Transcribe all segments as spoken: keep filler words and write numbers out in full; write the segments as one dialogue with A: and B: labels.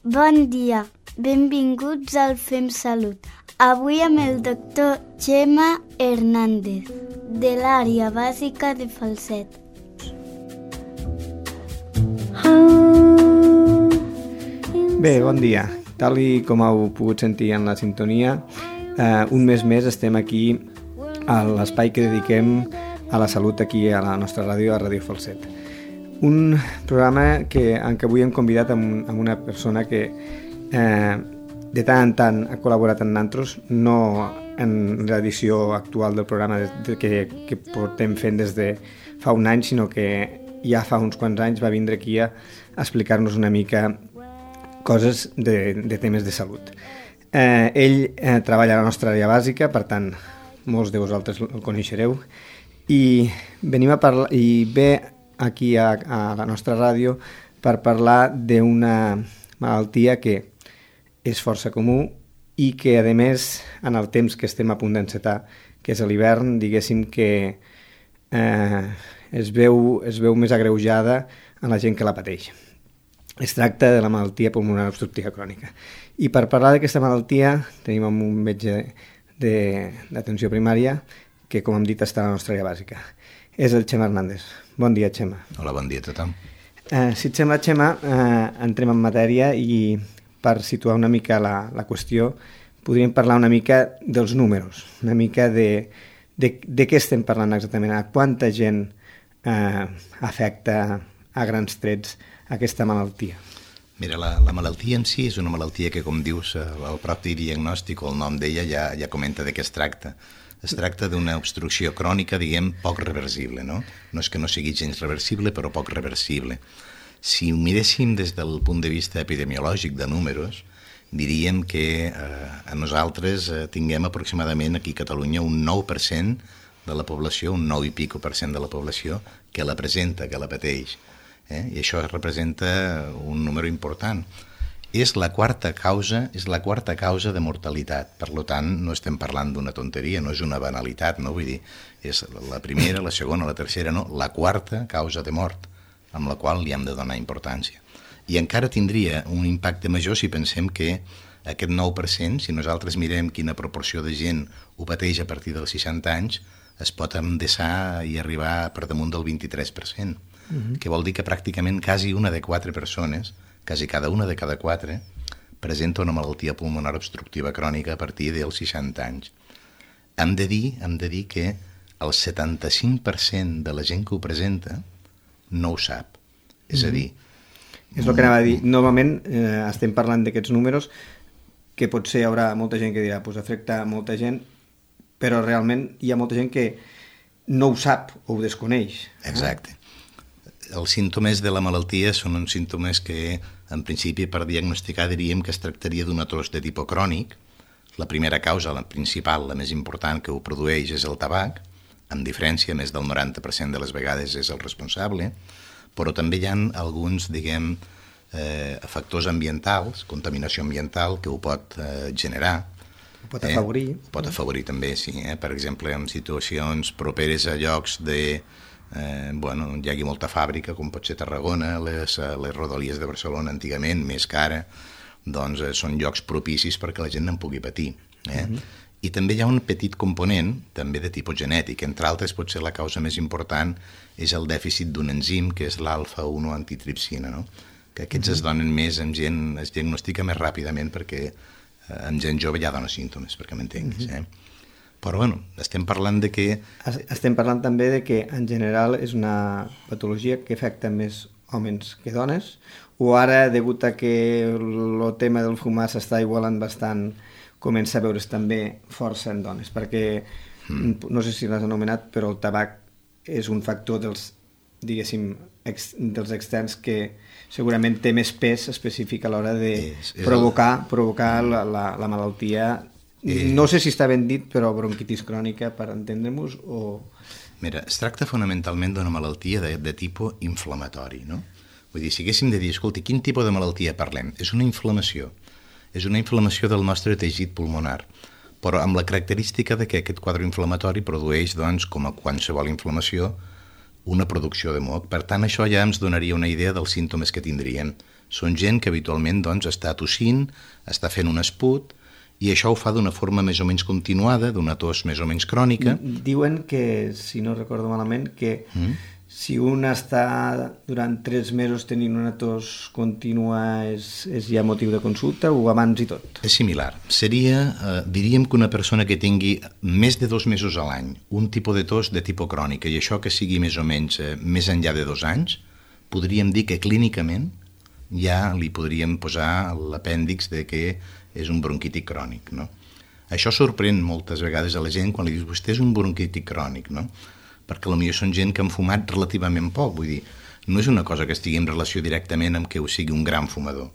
A: Bon dia, benvinguts al Fem Salut. Avui amb el doctor Txema Hernández, de l'àrea bàsica de Falset.
B: Bé, bon dia. Tal i com heu pogut sentir en la sintonia, eh, un mes més estem aquí a l'espai que dediquem a la salut aquí a la nostra ràdio, a Ràdio Falset. Un programa que, en què avui hem convidat amb, amb una persona que eh, de tant en tant ha col·laborat amb nosaltres, no en l'edició actual del programa de, de, que, que portem fent des de fa un any, sinó que ja fa uns quants anys va vindre aquí a, a explicar-nos una mica coses de, de temes de salut. Eh, ell eh, treballa a la nostra àrea bàsica, per tant, molts de vosaltres el coneixereu, i venim a parlar, i ve aquí a, a la nostra ràdio per parlar d'una malaltia que és força comú i que, a més, en el temps que estem a punt d'encetar, que és l'hivern, diguéssim que eh, es, veu, es veu més agreujada en la gent que la pateix. Es tracta de la malaltia pulmonar obstructiva crònica. I per parlar d'aquesta malaltia tenim un metge d'atenció primària que, com hem dit, està a la nostra àrea bàsica. És el Txema Hernández. Bon dia, Txema.
C: Hola, bon dia a tothom.
B: Eh, si et sembla, Txema, eh, entrem en matèria i per situar una mica la, la qüestió podríem parlar una mica dels números, una mica de, de, de què estem parlant exactament, a quanta gent eh, afecta a grans trets aquesta malaltia.
C: Mira, la, la malaltia en si és una malaltia que, com dius, el propi diagnòstic o el nom d'ella ja, ja comenta de què es tracta. Es tracta d'una obstrucció crònica, diguem, poc reversible, no? No és que no sigui gens reversible, però poc reversible. Si ho miréssim des del punt de vista epidemiològic de números, diríem que eh, a nosaltres eh, tinguem aproximadament aquí a Catalunya un nou per cent de la població, un nou i pico per cent de la població que la presenta, que la pateix. Eh? I això representa un número important. És la quarta causa, és la quarta causa de mortalitat. Per tant, no estem parlant d'una tonteria, no és una banalitat, no? Vull dir, és la primera, la segona, la tercera, no, la quarta causa de mort, amb la qual li hem de donar importància. I encara tindria un impacte major si pensem que aquest nou per cent, si nosaltres mirem quina proporció de gent ho pateix a partir dels seixanta anys, es pot endeçar i arribar per damunt del vint-i-tres per cent. Uh-huh. Que vol dir que pràcticament quasi una de quatre persones, quasi cada una de cada quatre, presenta una malaltia pulmonar obstructiva crònica a partir dels seixanta anys. Hem de dir, hem de dir que el setanta-cinc per cent de la gent que ho presenta no ho sap. És a dir...
B: És el que anava a dir. Normalment eh, estem parlant d'aquests números que potser hi haurà molta gent que dirà pues afecta molta gent, però realment hi ha molta gent que no ho sap o ho desconeix.
C: Exacte. Els símptomes de la malaltia són uns símptomes que, en principi, per diagnosticar diríem que es tractaria d'una tos de tipus crònic. La primera causa, la principal, la més important que ho produeix és el tabac, amb diferència, més del noranta per cent de les vegades és el responsable, però també hi ha alguns, diguem, eh, factors ambientals, contaminació ambiental, que ho pot eh, generar.
B: Ho pot afavorir.
C: Eh? Ho pot afavorir també, sí. Eh? Per exemple, en situacions properes a llocs de... Eh, bueno, hi hagi molta fàbrica, com pot ser Tarragona, les, les rodalies de Barcelona antigament, més cara, doncs eh, són llocs propicis perquè la gent no en pugui patir. Eh? Uh-huh. I també hi ha un petit component, també de tipus genètic, entre altres potser la causa més important és el dèficit d'un enzim que és l'alfa u antitripsina, no? Que aquests uh-huh. es donen més en gent, es diagnostica més ràpidament perquè eh, en gent jove ja dona símptomes, perquè m'entenguis, uh-huh. eh? Però, bueno, estem parlant de que...
B: Estem parlant també de que, en general, és una patologia que afecta més homes que dones, o ara, degut a que el tema del fumar s'està igualant bastant, comença a veure's també força en dones, perquè, mm. no sé si l'has anomenat, però el tabac és un factor dels, diguéssim, ex, dels externs que segurament té més pes específic a l'hora de és, és provocar, el... provocar la, la, la malaltia. Eh... No sé si està ben dit, però bronquitis crònica, per entendre-nos, o...
C: Mira, es tracta fonamentalment d'una malaltia de, de tipus inflamatori, no? Vull dir, si haguéssim de dir, escolti, quin tipus de malaltia parlem? És una inflamació. És una inflamació del nostre teixit pulmonar, però amb la característica de que aquest quadre inflamatori produeix, doncs, com a qualsevol inflamació, una producció de moc. Per tant, això ja ens donaria una idea dels símptomes que tindrien Són gent que habitualment doncs, està tossint, està fent un esput, i això ho fa d'una forma més o menys continuada, d'una tos més o menys crònica.
B: Diuen que, si no recordo malament, que mm. si un està durant tres mesos tenint una tos contínua és, és ja motiu de consulta o abans i tot?
C: És similar. Seria, eh, diríem que una persona que tingui més de dos mesos a l'any un tipus de tos de tipus crònica i això que sigui més o menys eh, més enllà de dos anys, podríem dir que clínicament ja li podríem posar l'apèndix de que és un bronquític crònic, no? Això sorprèn moltes vegades a la gent quan li dius vostè és un bronquític crònic, no? Perquè potser són gent que han fumat relativament poc, vull dir, no és una cosa que estigui en relació directament amb que ho sigui un gran fumador.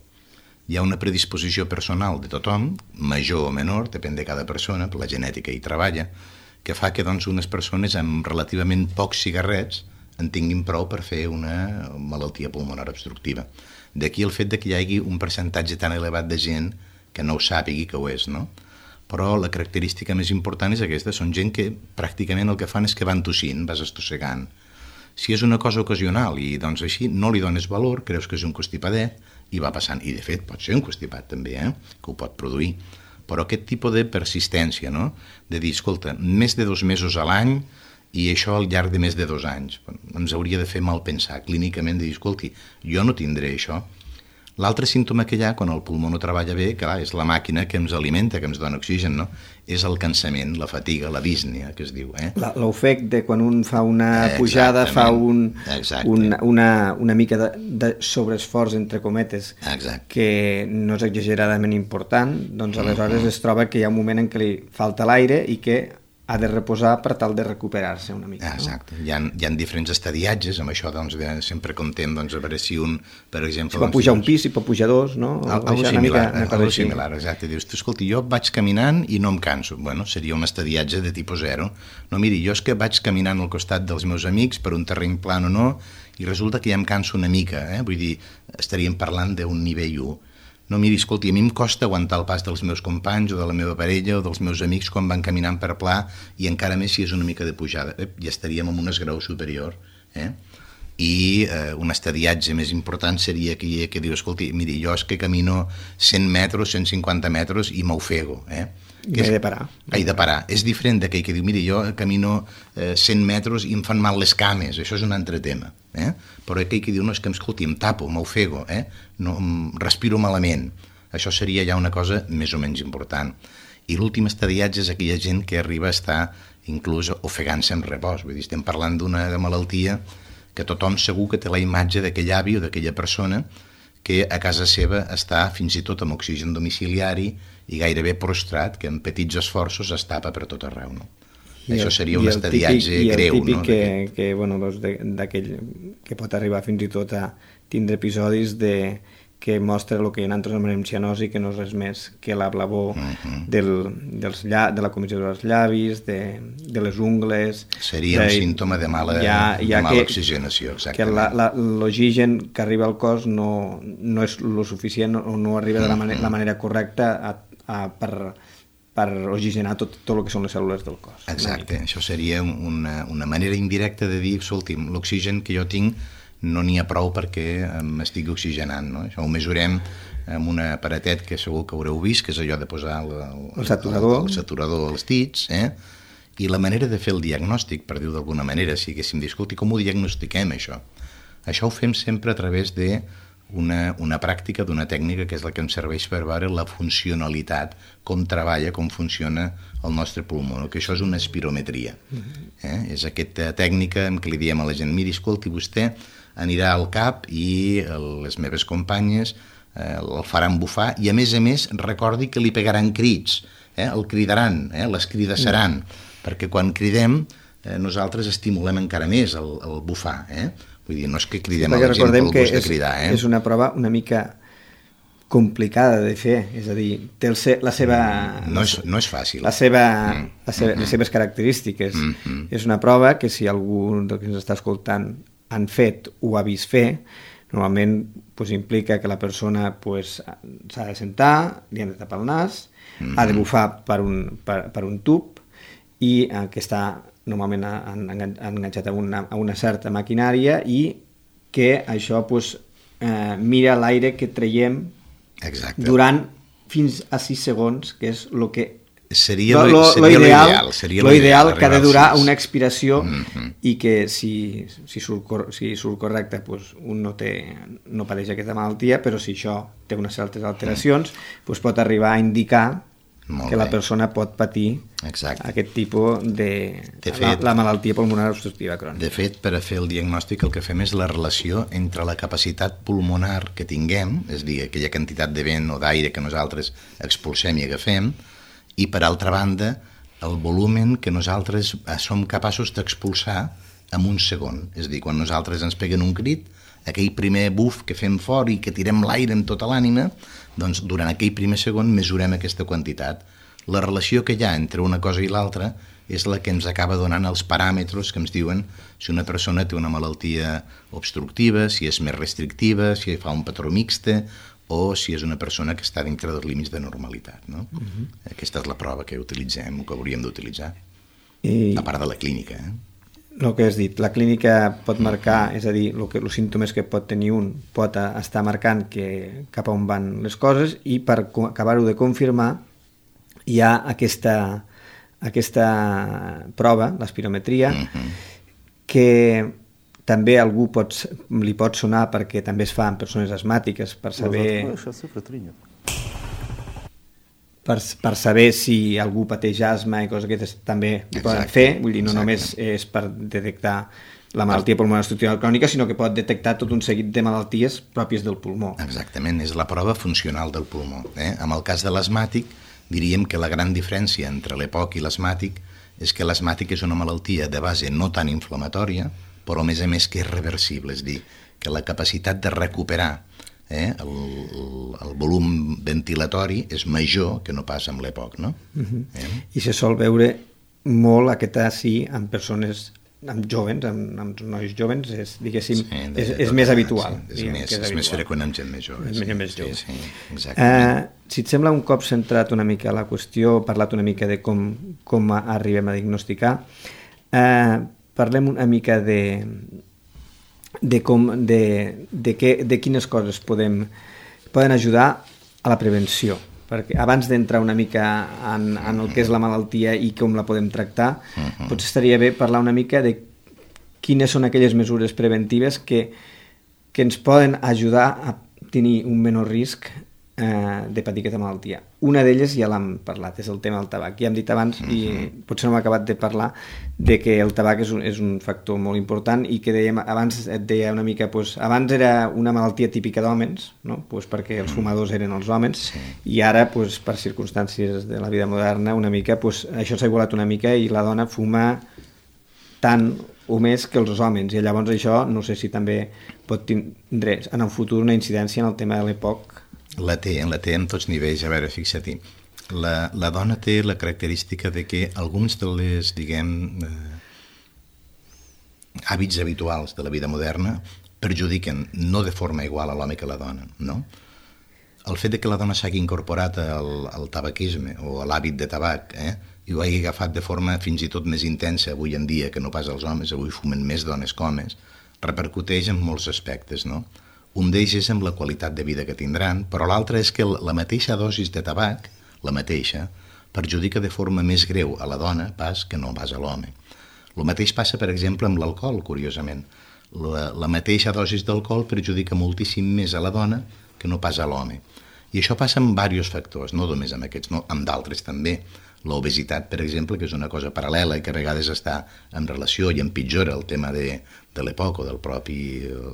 C: Hi ha una predisposició personal de tothom, major o menor, depèn de cada persona, la genètica hi treballa, que fa que doncs, unes persones amb relativament pocs cigarrets en tinguin prou per fer una malaltia pulmonar obstructiva. D'aquí el fet de que hi hagi un percentatge tan elevat de gent que no ho sàpigui que ho és, no? Però la característica més important és aquesta, són gent que pràcticament el que fan és que van tossint, vas estossegant. Si és una cosa ocasional i doncs així no li dones valor, creus que és un constipadet i va passant, i de fet pot ser un constipat també, eh? Que ho pot produir, però aquest tipus de persistència, no? De dir, escolta, més de dos mesos a l'any i això al llarg de més de dos anys, ens hauria de fer mal pensar clínicament, de dir, escolti, jo no tindré això. L'altre símptoma que hi ha quan el pulmó no treballa bé, clar, és la màquina que ens alimenta, que ens dona oxigen, no? És el cansament, la fatiga, la dísnia, que es diu. Eh?
B: L'ofec de quan un fa una pujada, fa un, un, una, una mica de, de sobreesforç, entre cometes,
C: Exacte.
B: Que no és exageradament important, doncs aleshores es troba que hi ha un moment en què li falta l'aire i que ha de reposar per tal de recuperar-se una mica.
C: Exacte. No? Hi, ha, hi ha diferents estadiatges, amb això doncs, de, sempre contem doncs, a veure si un, per exemple...
B: Si pot pujar un pis, si pot pujar dos, no?
C: Algo similar, algo similar, exacte. Dius, escolta, jo vaig caminant i no em canso. Bueno, seria un estadiatge de tipus zero. No, miri, jo és que vaig caminant al costat dels meus amics per un terreny plan o no, i resulta que ja em canso una mica, eh? Vull dir, estaríem parlant d'un nivell u. No, miri, escolti, a mi em costa aguantar el pas dels meus companys o de la meva parella o dels meus amics quan van caminant per pla i encara més si és una mica de pujada. Eh, ja estaríem en un esgrau superior. Eh? I eh, un estadiatge més important seria que, que diu, escolti, miri, jo és que camino cent metres, cent cinquanta metres i m'ofego. Eh?
B: I he de parar.
C: He de parar. És diferent d'aquell que diu, miri, jo camino eh, cent metres i em fan mal les cames. Això és un altre tema. Eh? Però aquell que diu, no, és que em escolti, em tapo, m'ofego, eh? No, respiro malament. Això seria ja una cosa més o menys important. I l'últim estadiatge és aquella gent que arriba a estar inclús ofegant-se en repòs. Vull dir, estem parlant d'una malaltia que tothom segur que té la imatge d'aquell avi o d'aquella persona que a casa seva està fins i tot amb oxigen domiciliari i gairebé prostrat, que amb petits esforços es tapa per tot arreu, no? I això seria un estadiatge greu, no?
B: I el típic que, que, bueno, doncs d'aquell que pot arribar fins i tot a tindre episodis de que mostra el que nosaltres anomenem cianosi, que no és res més que la blavor uh-huh. del, dels lla, de la comissió dels llavis, de, de les ungles...
C: Seria de, un símptoma de mala, ja, ja de mala que, oxigenació, exactament.
B: Que l'oxigen que arriba al cos no, no és lo suficient o no arriba de la, manera, uh-huh. la manera correcta a, a, per, per oxigenar tot, tot el que són les cèl·lules del cos.
C: Exacte, això seria una, una manera indirecta de dir, escolti'm, l'oxigen que jo tinc no n'hi ha prou perquè m'estigui oxigenant, no? Això ho mesurem amb un aparatet que segur que haureu vist, que és allò de posar el, el,
B: el saturador,
C: el, el saturador als dits, eh? I la manera de fer el diagnòstic, per dir-ho d'alguna manera, si haguéssim dit, escolti, com ho diagnostiquem, això? Això ho fem sempre a través de una, una pràctica d'una tècnica que és la que ens serveix per veure la funcionalitat, com treballa, com funciona el nostre pulmó, no? Que això és una espirometria. Eh? És aquesta tècnica en què li diem a la gent, miri, escolti, vostè anirà al cap i les meves companyes eh, el faran bufar i a més a més recordi que li pegaran crits, eh? El cridaran, eh? Les cridassaran, mm. perquè quan cridem eh, nosaltres estimulem encara més el, el bufar, eh? Vull dir, no és que cridem sí, a la gent pel gust de cridar. Eh?
B: És una prova una mica complicada de fer, és a dir, té el se, la seva...
C: No és, no és fàcil.
B: La seva, mm. la seva, mm-hmm. les seves característiques. Mm-hmm. És una prova que si algú del que ens està escoltant han fet o ha vist fer, normalment pues, implica que la persona pues, s'ha de sentar, li han de tapar el nas, mm-hmm. ha de bufar per un, per, per un tub i eh, que està normalment enganxat a una, a una certa maquinària i que això pues, eh, mira l'aire que traiem
C: Exacte.
B: durant fins a sis segons, que és el que
C: seria
B: lo,
C: lo,
B: lo,
C: seria
B: lo ideal,
C: ideal, seria
B: lo ideal que ha de durar una
C: sis.
B: expiració
C: Mm-hmm.
B: i que si, si, surt, cor, si surt correcte pues, un no, té, no pateix aquesta malaltia, però si això té unes certes alteracions mm. pues pot arribar a indicar
C: Molt
B: que
C: bé.
B: la persona pot patir
C: Exacte.
B: aquest tipus de,
C: de fet,
B: la, la malaltia pulmonar obstructiva crònica.
C: De fet, per a fer el diagnòstic el que fem és la relació entre la capacitat pulmonar que tinguem, és a dir, aquella quantitat de vent o d'aire que nosaltres expulsem i agafem, i per altra banda el volumen que nosaltres som capaços d'expulsar en un segon. És a dir, quan nosaltres ens peguen un crit, aquell primer buf que fem fort i que tirem l'aire amb tota l'ànima, doncs durant aquell primer segon mesurem aquesta quantitat. La relació que hi ha entre una cosa i l'altra és la que ens acaba donant els paràmetres que ens diuen si una persona té una malaltia obstructiva, si és més restrictiva, si fa un patró mixte, o si és una persona que està dintre dels límits de normalitat. No? Uh-huh. Aquesta és la prova que utilitzem o que hauríem d'utilitzar, I... a part de la clínica. Eh?
B: El que has dit, la clínica pot marcar, és a dir, el que, els símptomes que pot tenir un pot estar marcant que, cap a on van les coses, i per acabar-ho de confirmar hi ha aquesta, aquesta prova, l'espirometria, uh-huh. que també algú pot, li pot sonar perquè també es fa en persones asmàtiques per saber per, per saber si algú pateix asma i coses aquestes també ho poden fer, vull dir, no Exacte. Només és per detectar la malaltia pulmonar obstructiva crònica, sinó que pot detectar tot un seguit de malalties pròpies del pulmó.
C: Exactament, és la prova funcional del pulmó. Eh? En el cas de l'asmàtic, diríem que la gran diferència entre l'E P O C i l'asmàtic és que l'asmàtic és una malaltia de base no tan inflamatòria, però a més a més que és reversible, és dir, que la capacitat de recuperar eh, el, el volum ventilatori és major que no pas amb l'E P O C, no? Uh-huh. eh?
B: I se sol veure molt aquest sí en persones, amb jovens, amb, amb nois jovens, és, diguéssim, sí, de, és, és
C: de,
B: més habitual.
C: Sí, és, diguem, més, és, és habitual. Més freqüent amb gent més jove.
B: És
C: sí,
B: més jove.
C: Sí, sí, exactament.
B: Uh, si et sembla, un cop centrat una mica a la qüestió, parlat una mica de com, com arribem a diagnosticar, uh, parlem una mica de, de, com, de, de, que, de quines coses podem, poden ajudar a la prevenció. Perquè abans d'entrar una mica en, en el que és la malaltia i com la podem tractar, uh-huh. potser estaria bé parlar una mica de quines són aquelles mesures preventives que, que ens poden ajudar a tenir un menor risc eh, de patir aquesta malaltia. Una d'elles ja l'hem parlat, és el tema del tabac. Ja hem dit abans, uh-huh. i potser no m'he acabat de parlar, de que el tabac és un, és un factor molt important i que dèiem, abans et deia una mica, pues, abans era una malaltia típica d'hòmens, no? Pues perquè els fumadors eren els homes, sí. i ara, pues, per circumstàncies de la vida moderna, una mica, pues, això s'ha igualat una mica i la dona fuma tant o més que els homes, i llavors això no sé si també pot tindre en el futur una incidència en el tema de l'E P O C.
C: La té, la té en tots nivells. A veure, fixa-t'hi, la, la dona té la característica de que alguns de les, diguem, eh, hàbits habituals de la vida moderna perjudiquen no de forma igual a l'home que a la dona, no? El fet de que la dona s'hagi incorporat al, al tabaquisme o a l'hàbit de tabac, eh, i ho hagi agafat de forma fins i tot més intensa avui en dia que no pas els homes, avui fumen més dones que homes, repercuteix en molts aspectes, no? Un d'ells és amb la qualitat de vida que tindran, però l'altre és que la mateixa dosis de tabac, la mateixa, perjudica de forma més greu a la dona pas que no pas a l'home. El mateix passa, per exemple, amb l'alcohol, curiosament. La, la mateixa dosis d'alcohol perjudica moltíssim més a la dona que no pas a l'home. I això passa amb diversos factors, no només amb aquests, no, amb d'altres també. L'obesitat, per exemple, que és una cosa paral·lela i que a vegades està en relació i empitjora el tema de, de l'E P O C o del propi eh,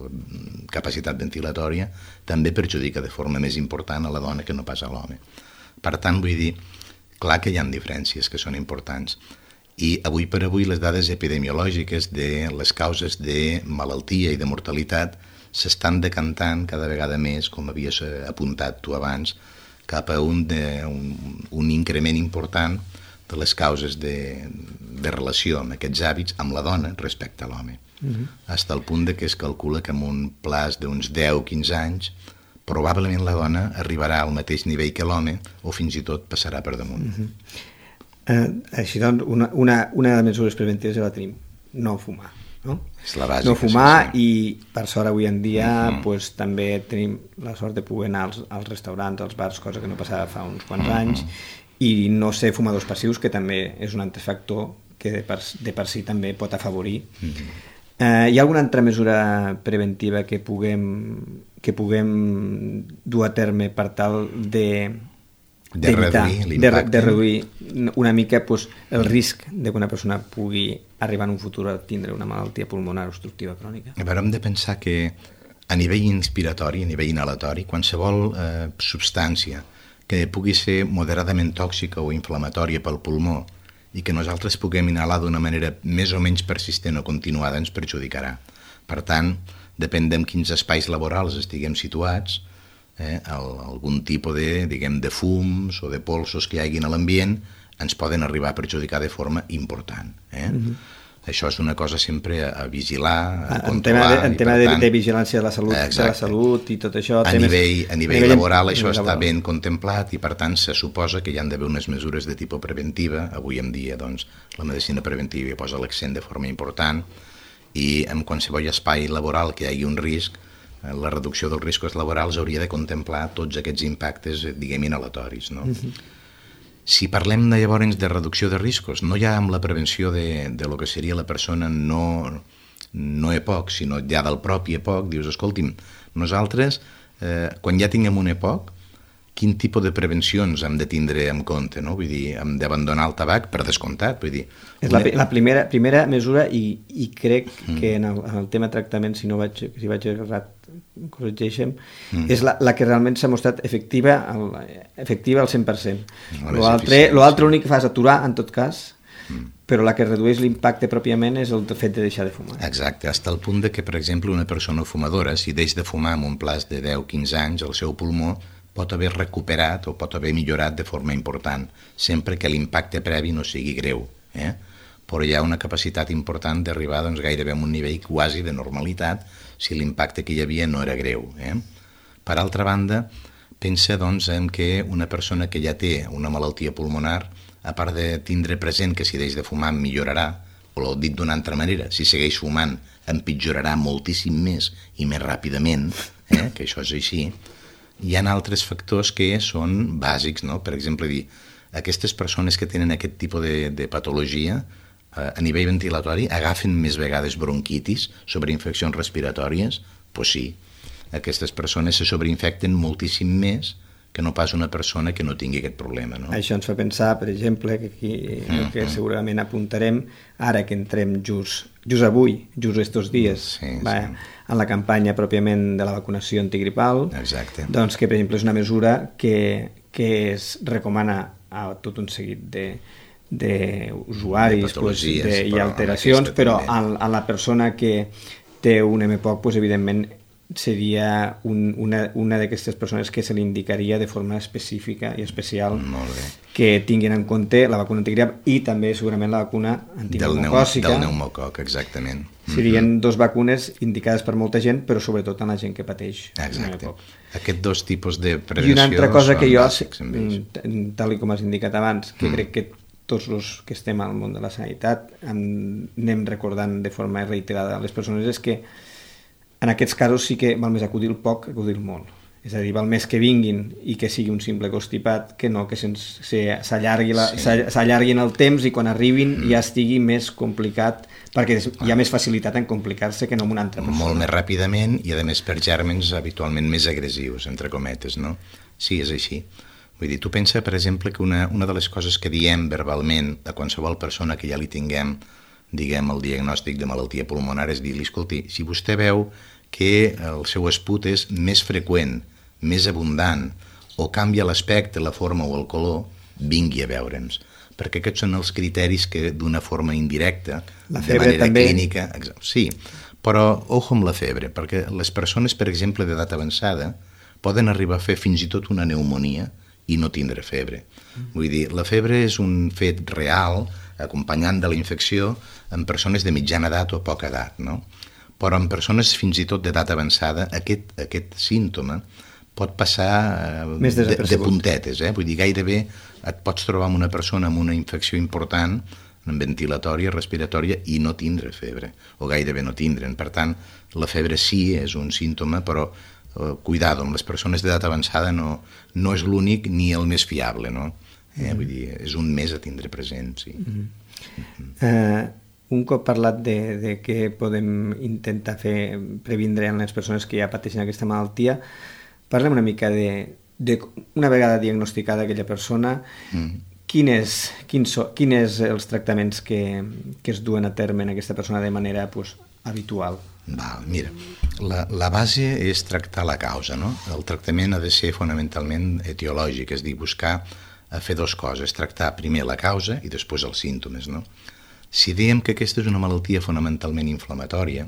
C: capacitat ventilatòria, també perjudica de forma més important a la dona que no pas a l'home. Per tant, vull dir, clar que hi ha diferències que són importants. I avui per avui les dades epidemiològiques de les causes de malaltia i de mortalitat s'estan decantant cada vegada més, com havies apuntat tu abans, cap a un, de, un, un increment important de les causes de, de relació amb aquests hàbits amb la dona respecte a l'home. Uh-huh. Fins al punt de que es calcula que en un plaç d'uns deu a quinze anys probablement la dona arribarà al mateix nivell que l'home o fins i tot passarà per damunt. Uh-huh. eh, així doncs, una, una, una de les mesures preventives ja la tenim, no fumar.
B: no?
C: És la bàsica,
B: no fumar,
C: sí, sí.
B: I per sort avui en dia mm-hmm. pues, també tenim la sort de poder anar als, als restaurants, als bars, cosa que no passava fa uns quants mm-hmm. anys, i no ser fumadors passius, que també és un altre factor que de per, de per si també pot afavorir. Mm-hmm. Eh, hi ha alguna altra mesura preventiva que puguem, que puguem dur a terme per tal de,
C: de, reduir l'impacte?
B: De, de reduir una mica pues, el risc de que una persona pugui arribar en un futur a tindre una malaltia pulmonar obstructiva crònica?
C: A veure, hem de pensar que a nivell inspiratori, a nivell inhalatori, qualsevol eh, substància que pugui ser moderadament tòxica o inflamatòria pel pulmó i que nosaltres puguem inhalar d'una manera més o menys persistent o continuada ens perjudicarà. Per tant, depèn de quins espais laborals estiguem situats, eh, el, algun tipus de, diguem, de fums o de polsos que hi hagin a l'ambient ens poden arribar a perjudicar de forma important. Eh? Mm-hmm. Això és una cosa sempre a, a vigilar, a
B: en
C: controlar.
B: Tema de, en tema
C: tant,
B: de, de vigilància de la salut, de la salut i tot això...
C: A temes, nivell, a nivell, nivell laboral això està
B: laboral.
C: Ben contemplat i per tant se suposa que hi han d'haver unes mesures de tipus preventiva. Avui en dia doncs, la medicina preventiva hi posa l'accent de forma important i en qualsevol espai laboral que hi hagi un risc, la reducció dels riscos laborals hauria de contemplar tots aquests impactes, diguem, inhalatoris, no? Mm-hmm. Si parlem de, llavors de reducció de riscos, no ja amb la prevenció de, de lo que seria la persona no, no E P O C, sinó ja del propi E P O C, dius, escolti'm, nosaltres, eh, quan ja tinguem un E P O C, quin tipus de prevencions hem de tindre en compte, no? Vull dir, hem d'abandonar el tabac per descomptat, vull dir...
B: És la, la primera, primera mesura i, i crec mm. que en el, en el tema tractament, si no vaig, si vaig errat, corregeixem, mm. és la, la que realment s'ha mostrat efectiva, el, efectiva al cent per cent. L'altre, l'únic que fa és aturar, en tot cas, mm. però la que redueix l'impacte pròpiament és el fet de deixar de fumar.
C: Exacte, fins al punt de que, per exemple, una persona fumadora, si deix de fumar en un plaç de deu a quinze anys, el seu pulmó pot haver recuperat o pot haver millorat de forma important, sempre que l'impacte previ no sigui greu. Eh? Però hi ha una capacitat important d'arribar doncs, gairebé a un nivell quasi de normalitat si l'impacte que hi havia no era greu. Eh? Per altra banda, pensa doncs, en que una persona que ja té una malaltia pulmonar, a part de tindre present que si deix de fumar millorarà, o dit d'una altra manera, si segueix fumant empitjorarà moltíssim més i més ràpidament, eh? que això és així, hi ha altres factors que són bàsics, no? Per exemple, dir, aquestes persones que tenen aquest tipus de, de patologia eh, a nivell ventilatori agafen més vegades bronquitis sobre infeccions respiratòries? Doncs sí, aquestes persones se sobreinfecten moltíssim més que no pas una persona que no tingui aquest problema. No?
B: Això ens fa pensar, per exemple, que aquí mm-hmm. que segurament apuntarem, ara que entrem just, just avui, just estos dies, sí, va, sí. en la campanya pròpiament de la vacunació antigripal,
C: exacte.
B: Doncs que, per exemple, és una mesura que, que es recomana a tot un seguit de d'usuaris pues, de, i alteracions, però a, a la persona que té un M P O C, pues, evidentment, seria un, una, una d'aquestes persones que se li indicaria de forma específica i especial que tinguin en compte la vacuna antigrip i també segurament la vacuna antipneumocòcica.
C: Del pneumococ, exactament.
B: Serien mm-hmm. dos vacunes indicades per molta gent, però sobretot en la gent que pateix.
C: Exacte. Aquests dos tipus de prevenció.
B: I una altra cosa que jo,
C: bàsics,
B: tal com has indicat abans, que mm. crec que tots els que estem al món de la sanitat anem recordant de forma reiterada a les persones, és que en aquests casos sí que val més acudir el poc que acudir el molt. És a dir, val més que vinguin i que sigui un simple constipat que no que s'allargui sí. el temps i quan arribin mm. ja estigui més complicat, perquè hi ha més facilitat en complicar-se que no amb una altra persona.
C: Molt més ràpidament i a més per gèrmens habitualment més agressius, entre cometes, no? Sí, és així. Vull dir, tu pensa, per exemple, que una, una de les coses que diem verbalment a qualsevol persona que ja li tinguem, diguem, el diagnòstic de malaltia pulmonar és dir-li, escolti, si vostè veu que el seu esput és més freqüent, més abundant, o canvia l'aspecte, la forma o el color, vingui a veure'ns. Perquè aquests són els criteris que d'una forma indirecta,
B: la
C: de manera
B: també.
C: Clínica... Sí, però ojo amb la febre, perquè les persones, per exemple, d'edat avançada, poden arribar a fer fins i tot una pneumonia i no tindre febre. Mm. Vull dir, la febre és un fet real, acompanyant de la infecció, en persones de mitjana edat o poca edat, no? Però en persones fins i tot d'edat avançada, aquest, aquest símptoma pot passar eh, de, de puntetes, eh? Vull dir, gairebé et pots trobar amb una persona amb una infecció important ventilatòria, respiratòria i no tindre febre, o gairebé no tindre'n. Per tant, la febre sí és un símptoma, però eh, cuidado, amb les persones d'edat avançada no, no és l'únic ni el més fiable, no? Eh, mm-hmm. Vull dir, és un més a tindre present, sí. Mm-hmm. Mm-hmm.
B: Uh, un cop parlat de, de què podem intentar fer previndre en les persones que ja pateixen aquesta malaltia, parlem una mica de, de una vegada diagnosticada aquella persona, mm-hmm. Quin és, quins so, quin és els tractaments que, que es duen a terme en aquesta persona de manera pues, habitual?
C: Val, mira, la, la base és tractar la causa, no? El tractament ha de ser fonamentalment etiològic, és dir, buscar a fer dues coses, tractar primer la causa i després els símptomes, no? Si diem que aquesta és una malaltia fonamentalment inflamatòria,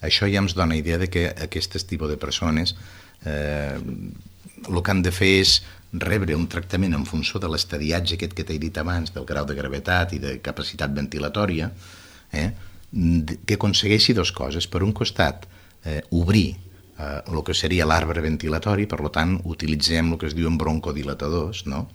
C: això ja ens dona idea de que aquest tipus de persones eh, el que han de fer és rebre un tractament en funció de l'estadiatge aquest que t'he dit abans, del grau de gravetat i de capacitat ventilatòria, eh, que aconsegueixi dues coses. Per un costat, eh, obrir eh, el que seria l'arbre ventilatori, per tant, utilitzem el que es diuen broncodilatadors, no?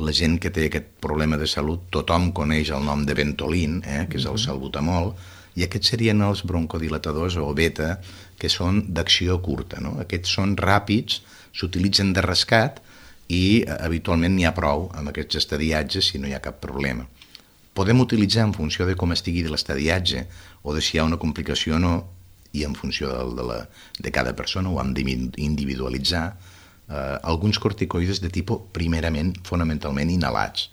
C: La gent que té aquest problema de salut, tothom coneix el nom de Ventolin, eh, que és el salbutamol, i aquests serien els broncodilatadors o beta, que són d'acció curta, no? Aquests són ràpids, s'utilitzen de rescat, i habitualment n'hi ha prou amb aquests estadiatges si no hi ha cap problema. Podem utilitzar en funció de com estigui de l'estadiatge o de si hi ha una complicació o no, i en funció de, de, la, de cada persona ho hem d'individualitzar, eh, alguns corticoides de tipus primerament, fonamentalment inhalats.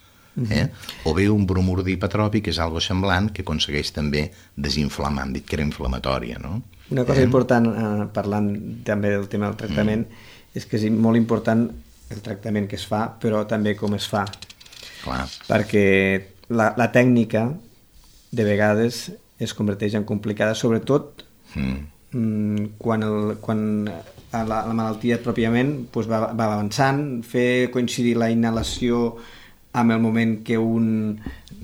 C: Eh? O bé un bromur dipatròpic, que és algo semblant, que aconsegueix també desinflamar, hem dit que era inflamatòria, no?
B: Una cosa
C: eh?
B: important, eh, parlant també del tema del tractament, mm. és que és molt important el tractament que es fa, però també com es fa.
C: Clar.
B: Perquè la, la tècnica de vegades es converteix en complicada, sobretot mm. quan, el, quan la, la malaltia pròpiament pues, va, va avançant, fer coincidir la inhalació amb el moment que un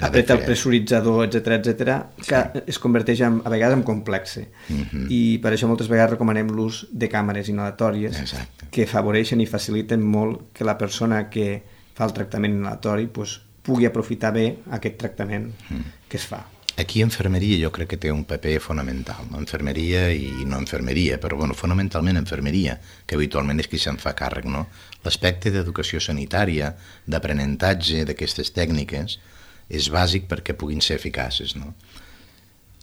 B: apreta el pressuritzador, etcètera, etcètera, que sí. es converteix en, a vegades en complexe. Mm-hmm. I per això moltes vegades recomanem l'ús de càmeres inhalatòries. Exacte. Que afavoreixen i faciliten molt que la persona que fa el tractament inhalatori pues, pugui aprofitar bé aquest tractament mm. que es fa.
C: Aquí infermeria jo crec que té un paper fonamental, no? Infermeria i no infermeria, però bueno, fonamentalment infermeria, que habitualment és qui se'n fa càrrec, no? L'aspecte d'educació sanitària, d'aprenentatge d'aquestes tècniques, és bàsic perquè puguin ser eficaces, no?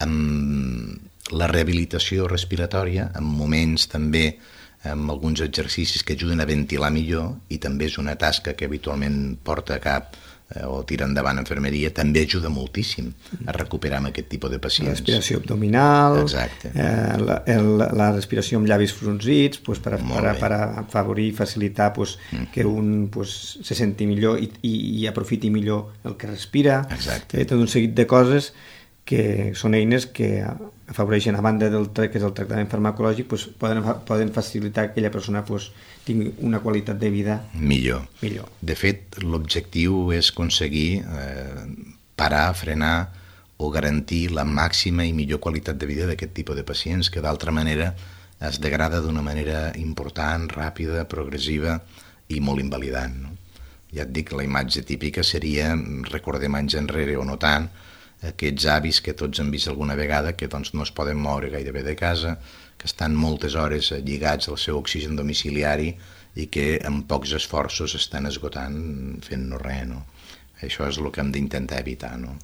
C: Amb la rehabilitació respiratòria, en moments també amb alguns exercicis que ajuden a ventilar millor, i també és una tasca que habitualment porta a cap o tira endavant infermeria, també ajuda moltíssim a recuperar amb aquest tipus de pacients.
B: La respiració abdominal,
C: eh,
B: la, el, la respiració amb llavis frunzits, pues, per, per, per afavorir i facilitar pues, mm. que un pues, se senti millor i, i, i aprofiti millor el que respira.
C: Exacte.
B: Eh, tot un seguit de coses que són eines que afavoreixen, a banda del que és el tractament farmacològic, pues, poden, poden facilitar que aquella persona pues, tingui una qualitat de vida
C: millor.
B: millor.
C: De fet, l'objectiu és aconseguir eh, parar, frenar o garantir la màxima i millor qualitat de vida d'aquest tipus de pacients, que d'altra manera es degrada d'una manera important, ràpida, progressiva i molt invalidant, no? Ja et dic, la imatge típica seria, recordem anys enrere o no tant, aquests avis que tots hem vist alguna vegada, que doncs, no es poden moure gairebé de casa, que estan moltes hores lligats al seu oxigen domiciliari i que amb pocs esforços estan esgotant fent-no res, no? Això és el que hem d'intentar evitar, no?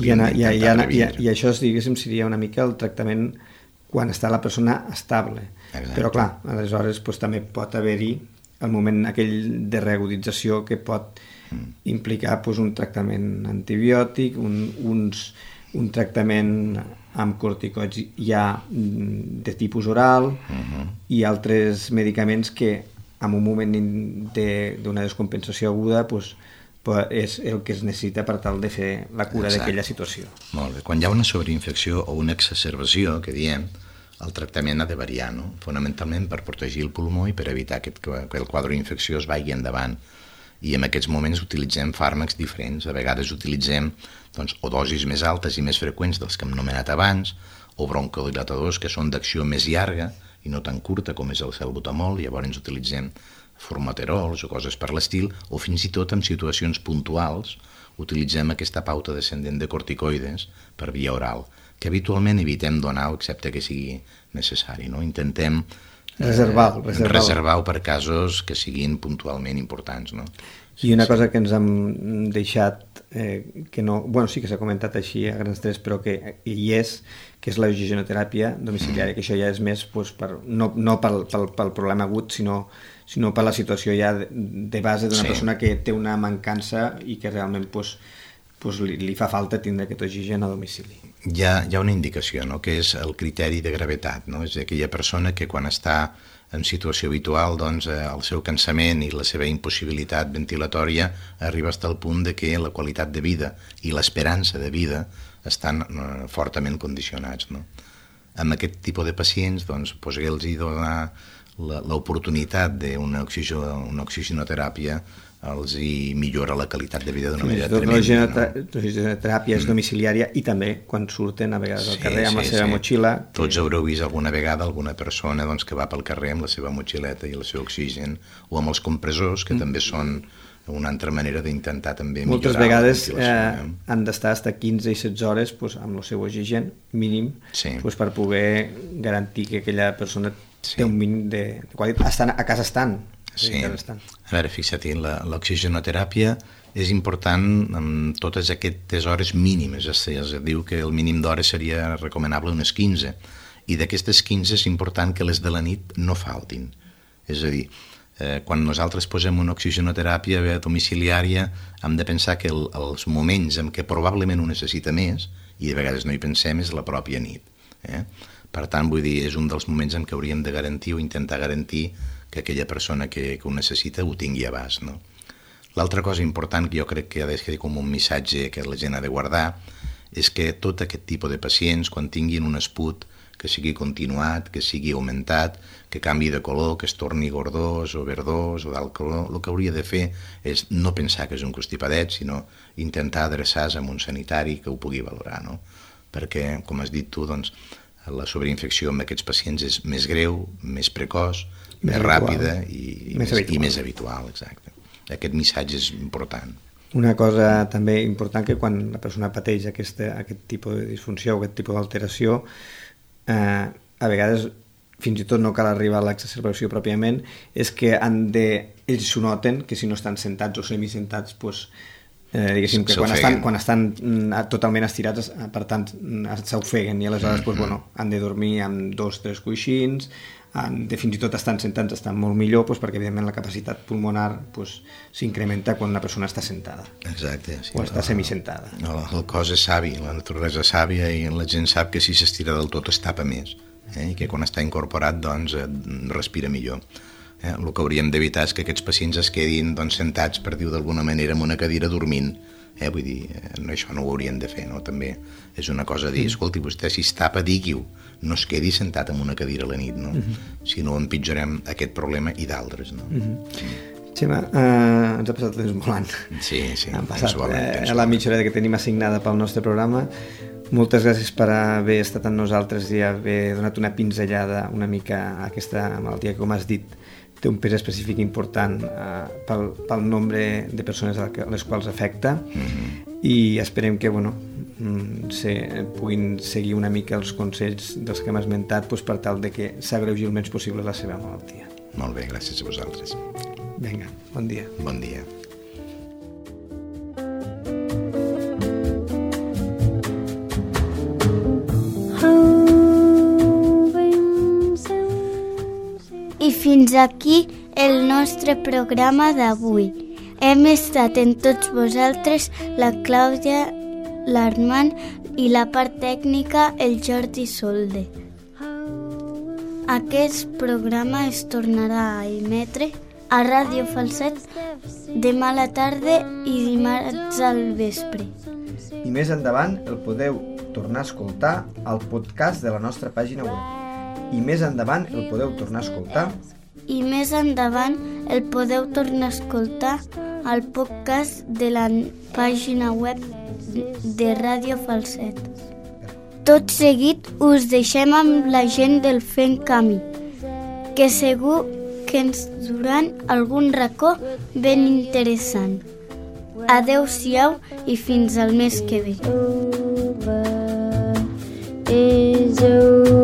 B: I, ana, i, i, ana, i, i això, diguéssim, seria una mica el tractament quan està la persona estable. Exacte. Però clar, aleshores pues, també pot haver-hi el moment aquell de reagudització que pot mm. implicar pues, un tractament antibiòtic, un, uns, un tractament amb corticoids ja de tipus oral uh-huh. i altres medicaments que en un moment d'una de, descompensació aguda pues, és el que es necessita per tal de fer la cura d'aquella situació.
C: Molt bé. Quan hi ha una sobreinfecció o una exacerbació, que diem, el tractament ha de variar, no? Fonamentalment per protegir el pulmó i per evitar que, que el quadre infecciós vagi endavant. I en aquests moments utilitzem fàrmacs diferents. A vegades utilitzem doncs, o dosis més altes i més freqüents dels que hem nomenat abans, o broncodilatadors que són d'acció més llarga i no tan curta com és el salbutamol, llavors utilitzem formoterols o coses per l'estil, o fins i tot en situacions puntuals utilitzem aquesta pauta descendent de corticoides per via oral, que habitualment evitem donar-ho excepte que sigui necessari, no? Intentem
B: reservar-ho
C: reservar reservar per casos que siguin puntualment importants, no?
B: I una cosa que ens hem deixat, eh, que no, bueno, sí que s'ha comentat així a grans trets, però que hi és, que és l'oxigenoteràpia domiciliària, que això ja és més pues, per, no, no pel, pel, pel problema agut, sinó, sinó per la situació ja de, de base d'una sí. persona que té una mancança i que realment pues, pues, li, li fa falta tindre aquest oxigen a domicili.
C: Hi ha, hi ha una indicació, no?, que és el criteri de gravetat, no? És aquella persona que quan està en situació habitual, doncs, eh, el seu cansament i la seva impossibilitat ventilatòria arriba fins al punt de que la qualitat de vida i l'esperança de vida estan eh, fortament condicionats, no? Amb aquest tipus de pacients, doncs, poder-los donar l'oportunitat d'una oxigen, una oxigenoteràpia els hi millora la qualitat de vida d'una manera tremenda.
B: L'oxigenoteràpia és domiciliària i també quan surten a vegades al carrer amb la seva motxilla.
C: Tots haureu vist alguna vegada alguna persona doncs, que va pel carrer amb la seva motxileta i el seu oxigen, o amb els compressors, que mm. també són una altra manera d'intentar també millorar.
B: Moltes vegades eh, han d'estar fins a quinze i setze hores pues, amb el seu oxigen mínim sí. pues, per poder garantir que aquella persona sí. té un mínim de, de qualitat. Estan, a casa estan.
C: Sí. A veure, fixa't, l'oxigenoteràpia és important amb totes aquestes hores mínimes, es diu que el mínim d'hores seria recomanable unes quinze, i d'aquestes quinze és important que les de la nit no faltin. És a dir, eh, quan nosaltres posem una oxigenoteràpia domiciliària hem de pensar que el, els moments en què probablement ho necessita més, i de vegades no hi pensem, és la pròpia nit. Eh? Per tant, vull dir, és un dels moments en què hauríem de garantir o intentar garantir que aquella persona que, que ho necessita ho tingui a abast, no? L'altra cosa important que jo crec que ha de ser com un missatge que la gent ha de guardar és que tot aquest tipus de pacients, quan tinguin un esput que sigui continuat, que sigui augmentat, que canvi de color, que es torni gordós o verdós o d'alt color, el que hauria de fer és no pensar que és un constipadet, sinó intentar adreçar-se a un sanitari que ho pugui valorar, no? Perquè, com has dit tu, doncs, la sobreinfecció amb aquests pacients és més greu, més precoç, més, més ràpida i, i, més, més, i més habitual. Exacte. Aquest missatge és important.
B: Una cosa també important, que quan la persona pateix aquesta, aquest tipus de disfunció o aquest tipus d'alteració, eh, a vegades fins i tot no cal arribar a l'exacerbació pròpiament, és que han de, ells s'ho noten, que si no estan sentats o semisentats, doncs, eh, diguéssim que quan estan, quan estan totalment estirats, per tant, s'ofeguen, i aleshores mm-hmm. doncs, bueno, han de dormir amb dos o tres coixins, han de, fins i tot estan sentats, estan molt millor, doncs, perquè evidentment la capacitat pulmonar doncs, s'incrementa quan la persona està sentada.
C: Exacte. Sí,
B: o està el, semisentada.
C: El, el cos és savi, la naturalesa és sàvia, i la gent sap que si s'estira del tot es tapa més, eh? I que quan està incorporat doncs, respira millor. Eh? El que hauríem d'evitar és que aquests pacients es quedin doncs, sentats, per dir-ho d'alguna manera, en una cadira dormint. Eh? Vull dir, no, això no ho haurien de fer, no? També és una cosa de dir, escolti, vostè si es tapa, digui-ho, no es quedi sentat en una cadira a la nit, no? Uh-huh. Si no empitjorem aquest problema i d'altres, no?
B: Uh-huh. Xema, eh, ens ha passat el temps volant.
C: Sí, sí.
B: Han passat eh, la mitja hora que tenim assignada pel nostre programa. Moltes gràcies per haver estat amb nosaltres i haver donat una pinzellada una mica a aquesta malaltia que, com has dit, té un pes específic important eh, pel, pel nombre de persones a les quals afecta, mm-hmm. i esperem que bueno, se, puguin seguir una mica els consells dels que hem esmentat doncs, per tal de que s'agreugi el menys possible la seva malaltia.
C: Molt bé, gràcies a vosaltres.
B: Vinga, bon dia.
C: Bon dia.
A: I fins aquí el nostre programa d'avui. Hem estat en tots vosaltres la Clàudia, l'Armand i la part tècnica el Jordi Solde. Aquest programa es tornarà a emetre a Ràdio Falset demà a la tarda i dimarts al vespre.
B: I més endavant el podeu tornar a escoltar al podcast de la nostra pàgina web. I més endavant el podeu tornar a escoltar
A: i més endavant el podeu tornar a escoltar al podcast de la pàgina web de Ràdio Falset. Tot seguit us deixem amb la gent del Fent Camí, que segur que ens duran algun racó ben interessant. Adeu-siau i fins al mes que ve.
D: Is over.